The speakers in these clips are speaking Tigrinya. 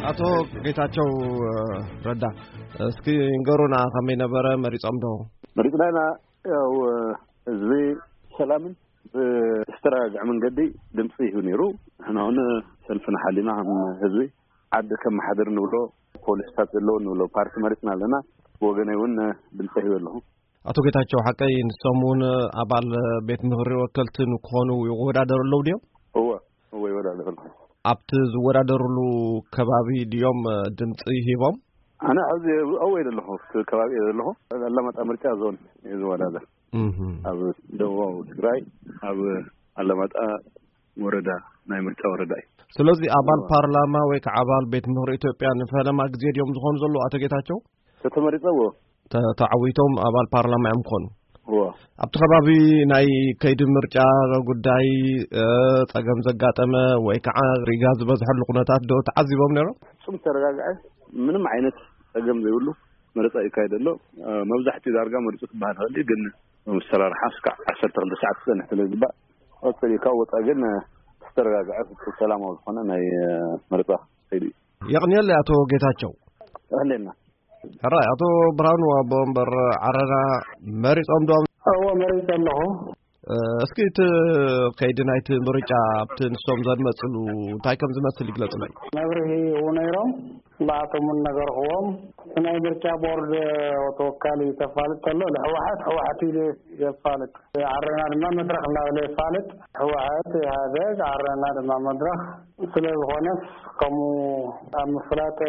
ኣቶ ጌታቸው ረዳ፣ እስኪ ንገሩና፣ ከመይ ነበረ? መሪጾም ዶ? መሪጽና ኢና። ያው ህዝቢ ሰላምን ብዝተረጋግዐ መንገዲ ድምፂ ይህብ ነይሩ። ንሕና እውን ሰልፍና ሓሊና ከም ህዝቢ ዓዲ ከመሓድር ንብሎ፣ ፖሊስታት ዘለዎ ንብሎ ፓርቲ መሪፅና ኣለና። ብወገነይ እውን ድምፂ ሂበ ኣለኹ። ኣቶ ጌታቸው፣ ሓቀይ ንሶም እውን ኣባል ቤት ምኽሪ ወከልቲ ንክኾኑ ይወዳደሩ ኣለዉ ድዮም? እወ፣ እወ፣ ይወዳደሩ ኣለዉ። ኣብቲ ዝወዳደሩሉ ከባቢ ድዮም ድምፂ ሂቦም? ኣነ ሕዚ እወ ኢለ ኣለኹ። ኣብቲ ከባቢ እየ ዘለኹ። ኣላማጣ ምርጫ ዞን እየ ዝወዳደር። እህ። ኣብ ደቡባዊ ትግራይ፣ ኣብ ኣላማጣ ወረዳ፣ ናይ ምርጫ ወረዳ እዩ። ስለዚ ኣባል እወ። ፓርላማ ወይ ከዓ ኣባል ቤት ምኽሪ ኢትዮጵያ ንፈለማ ግዜ ድዮም ዝኾኑ ዘለዉ፣ ኣቶ ጌታቸው? ተተመሪጸ እወ። ተ-፣ ተዓዊቶም ኣባል ፓርላማ እዮም ክኾኑ። እወ። ኣብቲ ከባቢ ናይ ከይዲ ምርጫ ጉዳይ፣ እ፣ ጸገም ዘጋጠመ ወይ ከዓ ሪጋ ዝበዝሐሉ ኩነታት ዶ ተዓዚቦም ነይሮም? ፍጹም ተረጋግዐ፣ ምንም ዓይነት ጸገም ዘይብሉ መረጻ ይካየድ ኣሎ። እ፣ መብዛሕትኡ ዳርጋ መሪጹ ክበሃል ይኽእል እዩ፣ ግን መሰራርሓ እስካዕ ዓሰርተ ክልተ ሰዓት ክጸንሕ ስለ ዝግባእ፣ ቀጽል እዩ። ካብ ወጻኢ ግን፣ እ፣ ዝተረጋግዐ ፍጹም ሰላማዊ ዝኾነ ናይ፣ እ፣ መረጻ ከይዱ እዩ። የቕንየለይ ኣቶ ጌታቸው። የቐንየልና። ሕራይ፣ ኣቶ ብርሃኑ ኣቦ ወንበር ዓረና መሪጾም ዶ? እወ፣ መሪጸ ኣለኹ። እ፣ እስኪ እቲ ከይዲ ናይቲ ምርጫ ኣብቲ ንሶም ዘድመጽሉ እንታይ ከም ዝመስል ይግለጽሉ። መብርሂ ይህቡ ነይሮም፣ ንኣቶም እውን ነገርክዎም። እቲ ናይ ምርጫ ቦርድ ተወካሊ ተፋልጥ ከሎ፣ ንህወሓት ህወሓት ኢሉ የፋልጥ። ዓረና ድማ መድረኽ እናበለ የፋልጥ። ህወሓት፣ ኢህኣዴግ፣ ዓረና ድማ መድረኽ። ስለ ዝኾነስ ከምኡ ኣብ ምፍላጥ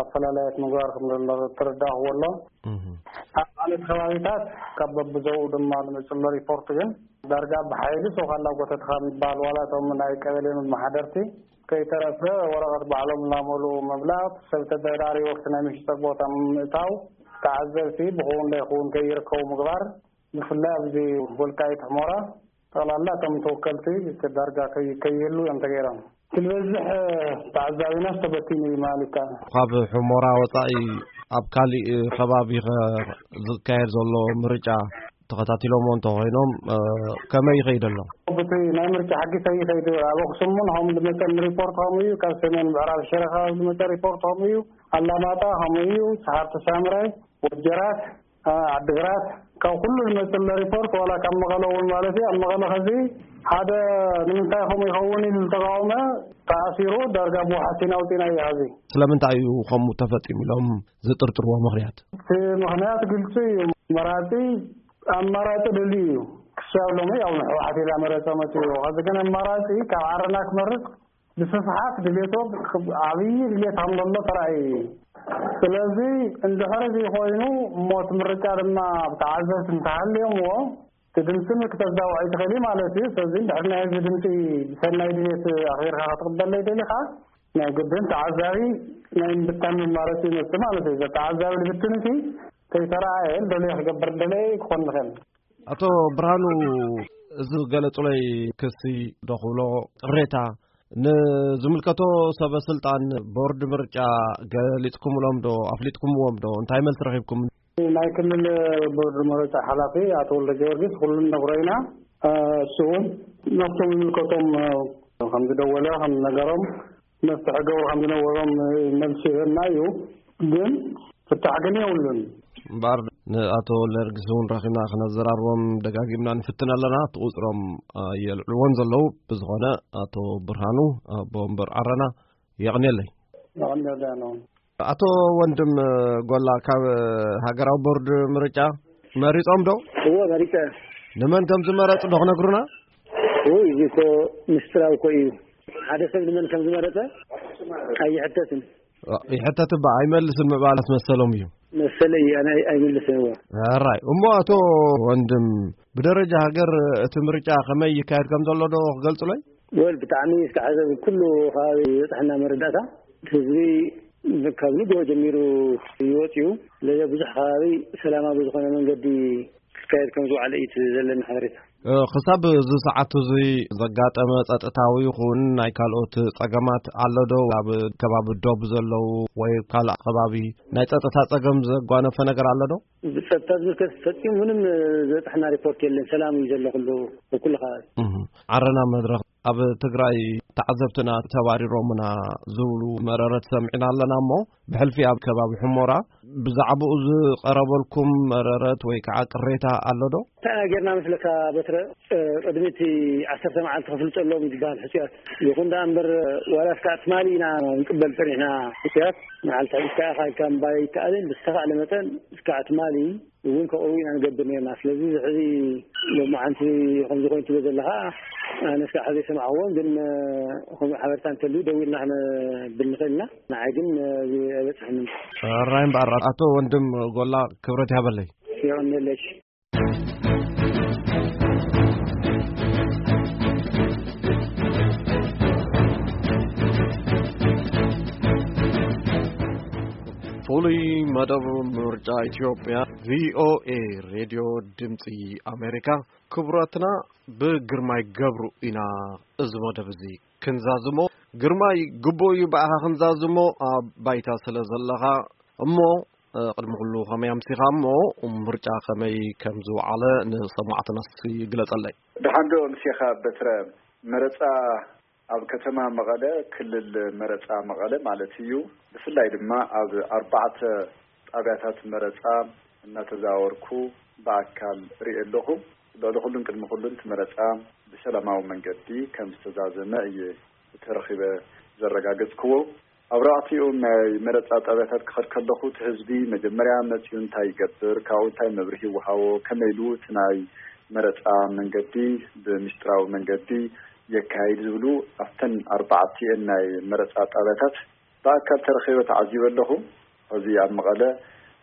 ኣፈላላያት ምግባር ከም ዘሎ ተረዳእኽዎ ኣሎ። እህ። ኣብ ካልኦት ከባቢታት ካብ በብዞባኡ ድማ ዝመጽእ ዘሎ ሪፖርት ግን ዳርጋ ብሓይሊ ሱቕ ኣላጎተትኻ ምባል፣ ዋላ እቶም ናይ ቀበሌ መመሓደርቲ ከይተረፈ ወረቐት ባዕሎም እናመልኡ ምብላቕ፣ ሰብ ተደራሪቡ ኣብቲ ናይ መሸጣ ቦታ ምእታው፣ ተዓዘብቲ ብኽውን ዘይኽውን ከይርከቡ ምግባር፣ ብፍላይ ኣብዚ ወልቃይት ሑመራ ጠቕላላ እቶም ተወከልቲ ዳርጋ ከይ-፣ ከይህሉ እዮም ተገይሮም። እቲ ዝበዝሕ ተዓዛቢናስ ተበቲኑ እዩ ማለት ይከኣል። ካብ ሑመራ ወጻኢ ኣብ ካሊእ ከባቢ ኸ ዝካየድ ዘሎ ምርጫ ተኸታቲሎሞ እንተኾይኖም፣ እ፣ ከመይ ይኸይድ ኣሎ? በቲ ናይ ምርጫ ሕጊ ከይኸይድ ኣብ ኣኽሱም እውን ከምኡ ዝመጸ ሪፖርት ከምኡ እዩ። ካብ ሰሜን ምዕራብ ሽረ ከባቢ ዝመጸ ሪፖርት ከምኡ እዩ። ኣላማጣ ከምኡ እዩ። ሰሓርቲ ሳምረ፣ ወጀራት፣ እ፣ ዓዲግራት፣ ካብ ኩሉ ዝመጽእ ዘሎ ሪፖርት፣ ዋላ ካብ መቐለ እውን ማለት እዩ። ኣብ መቐለ ኸዚ ሓደ ንምንታይ ከምኡ ይኸውን ኢሉ ዝተቃወመ ተኣሲሩ፣ ዳርጋ ብዋሕስ ኢና ኣውጺእናዮ ኸዚ። ስለምንታይ እዩ ከምኡ ተፈጺሙ ኢሎም ዝጥርጥርዎ ምኽንያት? እቲ ምኽንያት ግልጺ እዩ። መራጺ ኣማራጺ ደልዩ እዩ። ክሳብ ሎሚ ያው ንሕወሓት ኢላ መረጸ መጺኡ። ኸዚ ግን ኣማራጺ ካብ ዓረና ክመርጽ ብስፍሓት ድሌቶ ዓብዪ ድሌት ከም ዘሎ ተራእዩ እዩ። ስለዚ እንድሕር እዚ ኮይኑ እሞ እቲ ምርጫ ድማ ብተዓዘብቲ እንተሃልዮምዎ እቲ ድምፂ ክተዛውዖ ይትኽእል እዩ ማለት እዩ። ስለዚ እንድሕር ናይ ህዝቢ ድምፂ ብሰናይ ድሌት ኣኽቢርካ ክትቕበለይ ደሊኻ ናይ ግድን ተዓዛቢ ናይ ምብታን መማረፂ ይመፅእ ማለት እዩ። ተዓዛቢ ልብትንሲ ከይተረኣየ ደለየ ክገብር ደለየ ክኾን ይኽእል። ኣቶ ብርሃኑ፣ እዚ ዝገለጹለይ ክሲ ዶ ክብሎ ቅሬታ ንዝምልከቶ ሰበ ስልጣን ቦርድ ምርጫ ገሊጽኩምሎም ዶ ኣፍሊጥኩምዎም ዶ? እንታይ መልሲ ረኺብኩም? ናይ ክልል ቦርድ ምርጫ ሓላፊ ኣቶ ወልደ ጊዮርጊስ ኩሉ ነግሮ ኢና። እሱ እውን ናብቶም ዝምልከቶም ከም ዝደወለ ከም ዝነገሮም መፍትሒ ገብሩ ከም ዝነበሮም መልሲ ይህበና እዩ። ግን ፍታሕ ግን የብሉን። እምበኣር ንኣቶ ወልደጊዮርጊስ እውን ረኺብና ክነዘራርቦም ደጋጊምና ንፍትን ኣለና። እቲ ቁፅሮም ኣየልዕልዎን ዘለዉ። ብዝኾነ ኣቶ ብርሃኑ ኣቦ ወንበር ዓረና የቕንየለይ። የቐንየለይ ኣነ እውን። ኣቶ ወንድም ጎላ ካብ ሃገራዊ ቦርድ ምርጫ መሪጾም ዶ? እወ መሪጸ። ንመን ከም ዝመረጹ ዶ ክነግሩና? ውይ፣ እዚ እኮ ምስጢራዊ እኮ እዩ። ሓደ ሰብ ንመን ከም ዝመረጸ ኣይሕተትን። ይሕተት እባ ኣይመልስን ምባል ኣስመሰሎም እዩ። መሰለ እዩ፣ ኣነ ኣይ-፣ ኣይመልስን እወ። ኣራይ፣ እሞ ኣቶ ወንድም፣ ብደረጃ ሃገር እቲ ምርጫ ከመይ ይካየድ ከም ዘሎ ዶ ክገልጹለይ? ወል ብጣዕሚ እስካዕ ኩሉ ከባቢ ዝበፅሐና መረዳእታ ህዝቢ ካብ ንግሆ ጀሚሩ ይወፅዩ። ስለዚ ብዙሕ ከባቢ ሰላማዊ ዝኾነ መንገዲ ክካየድ ከም ዝወዓለ እዩ እቲ ዘለኒ ሓበሬታ። እ፣ ክሳብ እዚ ሰዓት እዚ ዘጋጠመ ጸጥታዊ ይኹን ናይ ካልኦት ጸገማት ኣሎ ዶ? ኣብ ከባቢ ዶብ ዘለዉ ወይ ካልእ ከባቢ ናይ ጸጥታ ጸገም ዘጓነፈ ነገር ኣሎ ዶ? ብጸጥታ ዝምልከት ፈጺሙ ምንም ዝበጽሐና ሪፖርት የለን። ሰላም እዩ ዘሎ ኩሉ፣ ብኩሉ ከባቢ። እህ፣ ዓረና መድረኽ ኣብ ትግራይ ተዓዘብትና ተባሪሮምና ዝብሉ መረረት ሰሚዕና ኣለና እሞ፣ ብሕልፊ ኣብ ከባቢ ሕሞራ ብዛዕባኡ ዝቐረበልኩም መረረት ወይ ከዓ ቅሬታ ኣሎ ዶ? እንታይ ኢና ጌርና መስለካ በትረ? እ፣ ቅድሚ እቲ ዓሰርተ መዓልቲ ክፍልጠሎም ይግባእ ሕጽያት። ይኹን ደኣ እምበር፣ ዋላ እስካዕ ትማሊ ኢና ንቅበል ጸኒሕና ሕጽያት። መዓልቲ ሕዚ እስካዕ ኢኻ ኢልካ ምባል ኣይከኣልን። ብዝተኻእለ መጠን እስካዕ ትማሊ እውን ከቕርቡ ኢና ንገብር ነርና። ስለዚ እዚ ሕዚ ሎማዓንቲ ከምዚ ኮይኑ ትብሎ ዘለኻ፣ ኣነ እስካዕ ሕዚ ኣይሰማዕኽዎን፣ ግን፣ እ፣ ከምኡ ሓበሬታ እንተልዩ ደዊልና ክነብል ንኽእል ኢና። ንዓይ ግን፣ እ፣ እዚ ኣይበጽሐንን። ሕራይ እምበኣር ኣቶ ወንድም ጎላ ክብረት ይሃበለይ። የቐንየለይ። ፍሉይ መደብ ምርጫ ኢትዮጵያ፣ ቪ ኦ ኤ ሬድዮ ድምፂ ኣሜሪካ። ክቡራትና፣ ብግርማይ ገብሩ ኢና እዚ መደብ እዚ ክንዛዝሞ። ግርማይ፣ ግቡእ እዩ ብኣኻ ክንዛዝሞ ኣብ ባይታ ስለ ዘለኻ። እሞ፣ እ፣ ቅድሚ ኩሉ ከመይ ኣምሲኻ እሞ ምርጫ ከመይ ከም ዝወዓለ ንሰማዕትና እስኪ ግለጸለይ። ደሓን ዶ ኣምሲኻ በትረ? መረጻ ኣብ ከተማ መቐለ፣ ክልል መረጻ መቐለ ማለት እዩ። ብፍላይ ድማ ኣብ ኣርባዕተ ጣብያታት መረጻ እናተዛወርኩ ብኣካል ርኢ ኣለኹ። ልዕሊ ኩሉን ቅድሚ ኩሉን እቲ መረጻ ብሰላማዊ መንገዲ ከም ዝተዛዘመ እየ ተረኺበ ዘረጋገጽክዎ። ኣብ ኣርባዕቲኡ ናይ መረጻ ጣብያታት ክኸድ ከለኹ፣ እቲ ህዝቢ መጀመርያ መጺኡ እንታይ ይገብር፣ ካብኡ እንታይ መብርሂ ይወሃቦ፣ ከመይ ኢሉ እቲ ናይ መረጻ መንገዲ ብምስጢራዊ መንገዲ የካይድ ዝብሉ ኣብተን ኣርባዕቲኤን ናይ መረጻ ጣብያታት ብኣካል ተረኺበ ተዓዚበ ኣለኹ። ሕዚ ኣብ መቐለ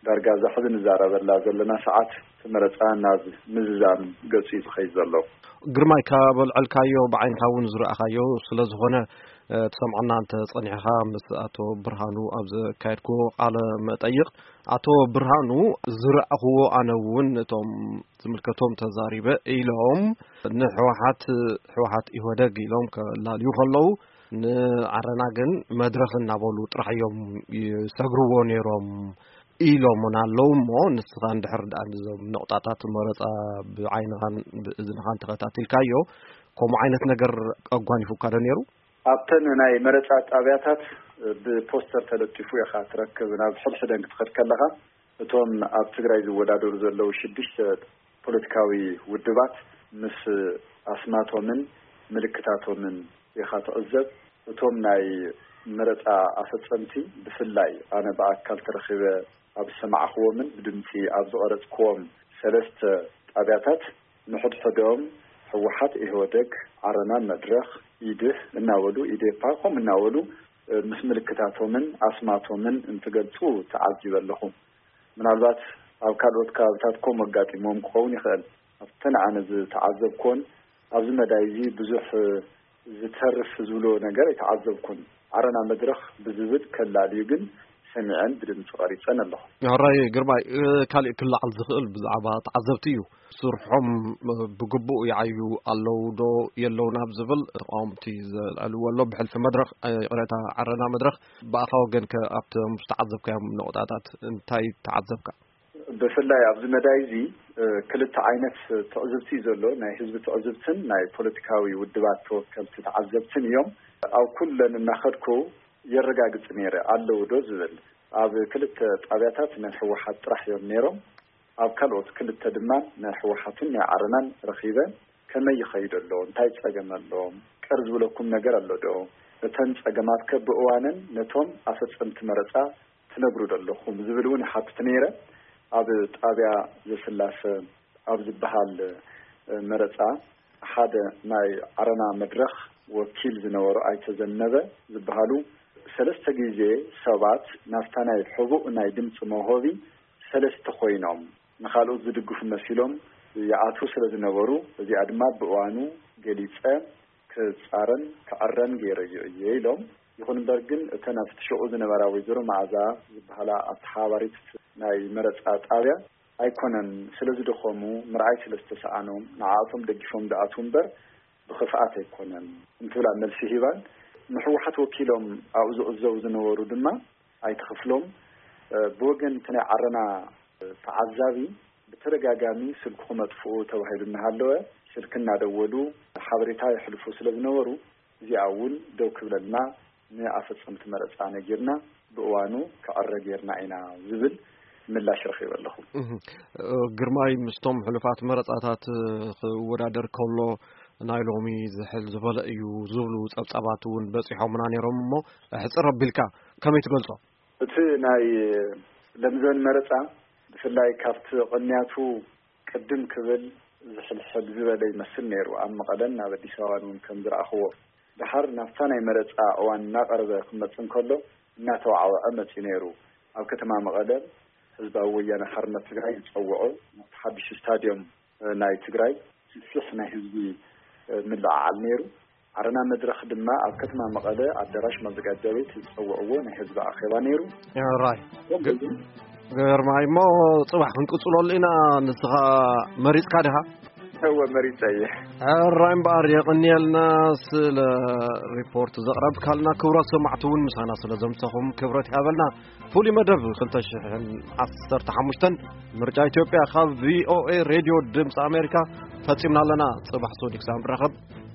ዳርጋ እዛ ሕዚ ንዛረበላ ዘለና ሰዓት እቲ መረጻ ናብ ምዝዛም ገጹ እዩ ዝኸይድ ዘሎ። ግርማይ፣ ካብ ኣልዐልካዮ ብዓይንኻ እውን ዝረኣኻዮ ስለ ዝኾነ፣ እ፣ ትሰምዓና እንተ ጸኒሕኻ፣ ምስ ኣቶ ብርሃኑ ኣብ ዘካየድክዎ ቃለ መጠይቕ፣ ኣቶ ብርሃኑ፣ ዝረኣኽዎ ኣነ እውን እቶም ዝምልከቶም ተዛሪበ ኢሎም፣ ንሕወሓት፣ ሕወሓት ኢህወደግ ኢሎም ከላልዩ ከለዉ፣ ንዓረና ግን መድረኽ እናበሉ ጥራሕ እዮም ይሰግርዎ ነይሮም ኢሎም እውን ኣለዉ። እሞ ንስኻ እንድሕር ደኣ ነዞም ነቑጣታት መረጻ ብዓይንኻን ብእዝንኻን ተኸታቲልካዮ፣ ከምኡ ዓይነት ነገር ኣጓኒፉካ ዶ ነይሩ? ኣብተን ናይ መረጻ ጣብያታት ብፖስተር ተለጢፉ ኢኻ ትረክብ። ናብ ሕድሕደን ክትኸድ ከለኻ፣ እቶም ኣብ ትግራይ ዝወዳደሩ ዘለዉ ሽዱሽተ ፖለቲካዊ ውድባት ምስ ኣስማቶምን ምልክታቶምን ኢኻ ትዕዘብ። እቶም ናይ መረጻ ኣፈጸምቲ፣ ብፍላይ ኣነ ብኣካል ተረኺበ ኣብ ዝሰማዕክዎምን ብድምጺ ኣብ ዝቐረጽክዎም ሰለስተ ጣብያታት፣ ንሕድሕዶም ህወሓት፣ ኢህወደግ፣ ዓረና፣ መድረኽ፣ ኢድህ እናበሉ፣ ኢዴፓ፣ ከምኡ እናበሉ፣ እ፣ ምስ ምልክታቶምን ኣስማቶምን እንትገልጹ ተዓዚበ ኣለኹ። ምናልባት ኣብ ካልኦት ከባብታት ከምኡ ኣጋጢሞም ክኸውን ይኽእል። ኣብተን ኣነ ዝተዓዘብኩዎን ኣብዚ መዳይ እዚ ብዙሕ ዝተርፍ ዝብሎ ነገር ኣይተዓዘብኩን። ዓረና መድረኽ ብዝብል ከላልዩ ግን ሰሚዐን ብድምፂ ቀሪፀን ኣለኹ። ሕራይ ግርማይ፣ እ፣ ካሊእ ክለዓል ዝኽእል ብዛዕባ ተዓዘብቲ እዩ። ስርሖም፣ እ፣ ብግቡእ ይዓዩ ኣለዉ ዶ የለውን ኣብ ዝብል ተቃወምቲ ዘልዕልዎ ኣሎ። ብሕልፊ መድረኽ፣ እ፣ ይቕሬታ፣ ዓረና መድረኽ፣ ብኣኻ ወገን ከ ኣብቶም ዝተዓዘብካዮም ነቑጣታት እንታይ ተዓዘብካ? ብፍላይ ኣብዚ መዳይ እዚ፣ እ፣ ክልተ ዓይነት ትዕዝብቲ እዩ ዘሎ። ናይ ህዝቢ ትዕዝብትን ናይ ፖለቲካዊ ውድባት ተወከልቲ ተዓዘብትን እዮም። ኣብ ኩለን እናኸድኩ የረጋግጽ ነይረ፣ ኣለዉ ዶ ዝብል። ኣብ ክልተ ጣብያታት ናይ ህወሓት ጥራሕ እዮም ነይሮም። ኣብ ካልኦት ክልተ ድማ ናይ ህወሓትን ናይ ዓረናን ረኺበ፣ ከመይ ይኸይድ ኣሎ፣ እንታይ ጸገም ኣሎ፣ ቅር ዝብለኩም ነገር ኣሎ ዶ፣ እተን ጸገማት ከ ብእዋነን ነቶም ኣፈጸምቲ መረጻ ትነግሩ ዶ ኣለኹም ዝብል እውን ይሓትት ነይረ። ኣብ ጣብያ ዘስላሰ ኣብ ዝበሃል፣ እ፣ መረጻ ሓደ ናይ ዓረና መድረኽ ወኪል ዝነበሩ ኣይተ ዘነበ ዝበሃሉ ሰለስተ ግዜ ሰባት ናብታ ናይ ሕቡእ ናይ ድምፂ መውሃቢ ሰለስተ ኮይኖም ንኻልኦት ዝድግፉ መሲሎም ይኣትዉ ስለ ዝነበሩ፣ እዚኣ ድማ ብእዋኑ ገሊፀ ክፃረን ክዕረን ገይረዮ እየ ኢሎም። ይኹን እምበር ግን እተን ኣብቲ ሽዑ ዝነበራ ወይዘሮ መዓዛ ዝበሃላ ኣተሓባባሪት ናይ መረፃ ጣብያ ኣይኮነን፣ ስለ ዝደኸሙ፣ ምርኣይ ስለ ዝተሰኣኖም፣ ንዓኣቶም ደጊፎም ዝኣትዉ እምበር ብኽፍኣት ኣይኮነን እንትብላ መልሲ ሂባን፣ ንህወሓት ወኪሎም ኣብኡ ዝዕዘቡ ዝነበሩ ድማ ኣይተ ክፍሎም፣ እ፣ ብወገን እቲ ናይ ዓረና ተዓዛቢ ብተደጋጋሚ ስልክኹም ኣጥፍኡ ተባሂሉ እናሃለወ፣ ስልኪ እናደወሉ ሓበሬታ የሕልፉ ስለ ዝነበሩ፣ እዚኣ እውን ደው ክብለልና ንኣፈጸምቲ መረጻ ነጊርና፣ ብእዋኑ ክዕረ ጌርና ኢና ዝብል ምላሽ ረኺበ ኣለኹ። እህ፣ ግርማይ ምስቶም ሕሉፋት መረጻታት ክወዳደር ከሎ ናይ ሎሚ ዝሕል ዝበለ እዩ ዝብሉ ጸብጻባት እውን በጺሖምና ነይሮም። እሞ ሕጽር ኣቢልካ ከመይ ትገልጾ? እቲ ናይ ለምዘን መረጻ ብፍላይ ካብቲ ቅንያቱ ቅድም ክብል ዝሕልሕል ዝበለ ይመስል ነይሩ። ኣብ መቐለን ኣብ ኣዲስ ኣበባን እውን ከም ዝረኣኽዎ፣ ድሓር ናብታ ናይ መረጻ እዋን እናቐረበ ክመጽእ እንከሎ እናተዋዕወዐ መጺኡ ነይሩ። ኣብ ከተማ መቐለ ህዝባዊ ወያነ ሓርነት ትግራይ ዝጸውዖ ናብቲ ሓድሽ ስታድዮም ናይ ትግራይ ሰፊሕ ናይ ህዝቢ ምልዕዓል ነይሩ። ዓረና መድረኽ ድማ ኣብ ከተማ መቐለ ኣዳራሽ ማዘጋጃ ቤት ዝጸውዕዎ ናይ ህዝቢ ኣኼባ ነይሩ። ራይ ከምኡ እውን ግርማይ፣ እሞ ጽባሕ ክንቅጽለሉ ኢና። ንስኻ መሪጽካ ዲኻ? እወ፣ መሪጸ እየ። ሕራይ እምበኣር፣ የቐንየልና ስለ ሪፖርት ዘቕረብካልና። ክቡራት ሰማዕቲ እውን ምሳና ስለ ዘምሰኹም ክብረት ይሃበልና። ፍሉይ መደብ ክልተ ሽሕን ዓሰርተ ሓሙሽተን ምርጫ ኢትዮጵያ ካብ ቪ ኦ ኤ ሬድዮ ድምፂ ኣሜሪካ ፈጺምና ኣለና። ጽባሕ ሶዲክ ሳም ንራኸብ።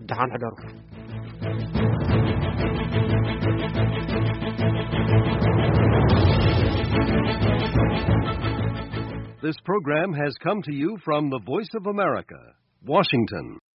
ደሓን ሕደሩ። This program has come to you from the Voice of America, Washington.